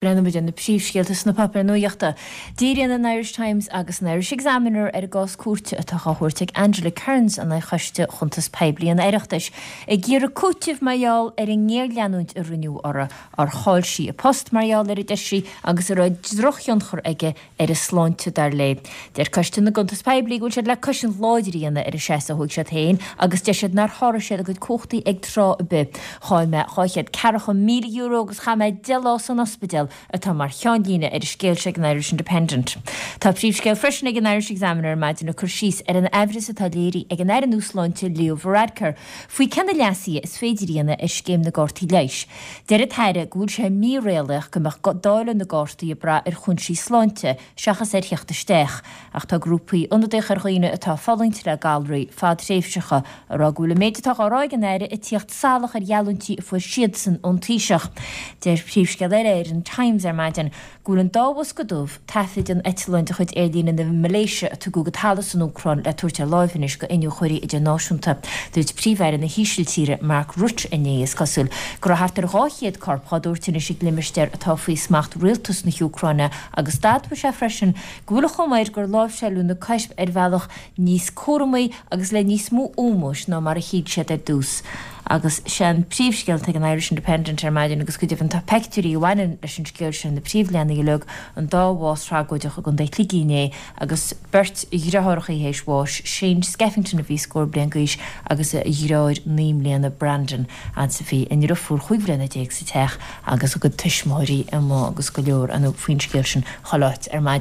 Breathnóidh muid ar na príomhscéalta sna páipéir nuachta. Díríonn an Irish Times agus an Irish Examiner ar an gcás cúirte atá á thabhairt ag Angela Kearns in aghaidh Choiste Chuntas Poiblí an Oireachtais ag iarraidh cúitimh mar gheall ar an ngéarleanúint a rinneadh uirthi ar chaill sí a post mar gheall air a deir sí agus a raibh drochthionchar aige ar a sláinte, dar léi. Deir Coiste na gCuntas Poiblí go bhfuil siad le cosaint láidir a dhéanamh ar an seasamh a thóg siad féin agus deir siad nár sháraigh siad a gcuid cumhachtaí ag tráth ar bith. Chaill mé €240,000 agus chaith mé 10 lá san ospidéal atá mar cheannlíne ar an scéal seo ag an Irish Independent. Tá príomhscéal freisin ag an Irish Examiner ar maidin ag cur síos ar an aimhreas atá léirithe ag an Aire nua Sláinte Leo Varadkar faoi cé na leasuithe is féidir a dhéanamh ar scéim na gcártaí leighis. Deir an tAire go bhfuil sé míréalaíoch go mbeadh dáileadh na gcártaí ag brath ar chúinsí sláinte seachas ar theacht isteach, ach tá grúpaí ionadaíocha ar dhaoine atá ag fulaingt le galraí fadtréimhseacha ag rá go bhfuil an méid atá á rá ag an Aire ag tíocht salach ar gheallúintí a fuair siadsan ón Taoiseach. Deir príomhscéal eile ar an Times ar maidin go bhfuil an dá bhosca dubh taifid an eitleáin de chuid aerlíne na Malaeisia a tugadh go talamh san Úcráin le tabhairt ar láimh anois go iniúchóirí idirnáisiúnta. Dúirt Príomh-Aire na hÍsiltíre, Mark Rutte inné, is cosúil, go raibh thart ar 200 corp á dtabhairt anois ag limistéar atá faoi smacht rialtas na hÚcráine agus d'admhaigh sé freisin go bhfuil an chuma air gur láimhseáileadh na coirp ar bhealach níos cúramaí agus le níos mó ómóis ná mar a shíl siad ar dtús. Agus sé an príomhscéal atá ag an Irish Independent ar maidin agus go deimhin tá peictiúirí a bhaineann leis an scéal sin ar na príomhleathanaigh uilig, an dá bhás thragóideach i gContae Shligigh inné agus beirt dhriotháireacha théis bháis, Shane Skeffington a bhí scór bliain d'aois agus a dhriotháir 9 mbliana Brandon agus a bhí a ndriofúr 15 bhliana sa teach agus a gcuid tuismitheoirí amuigh agus go leor faoin scéal sin chuile áit ar maidin.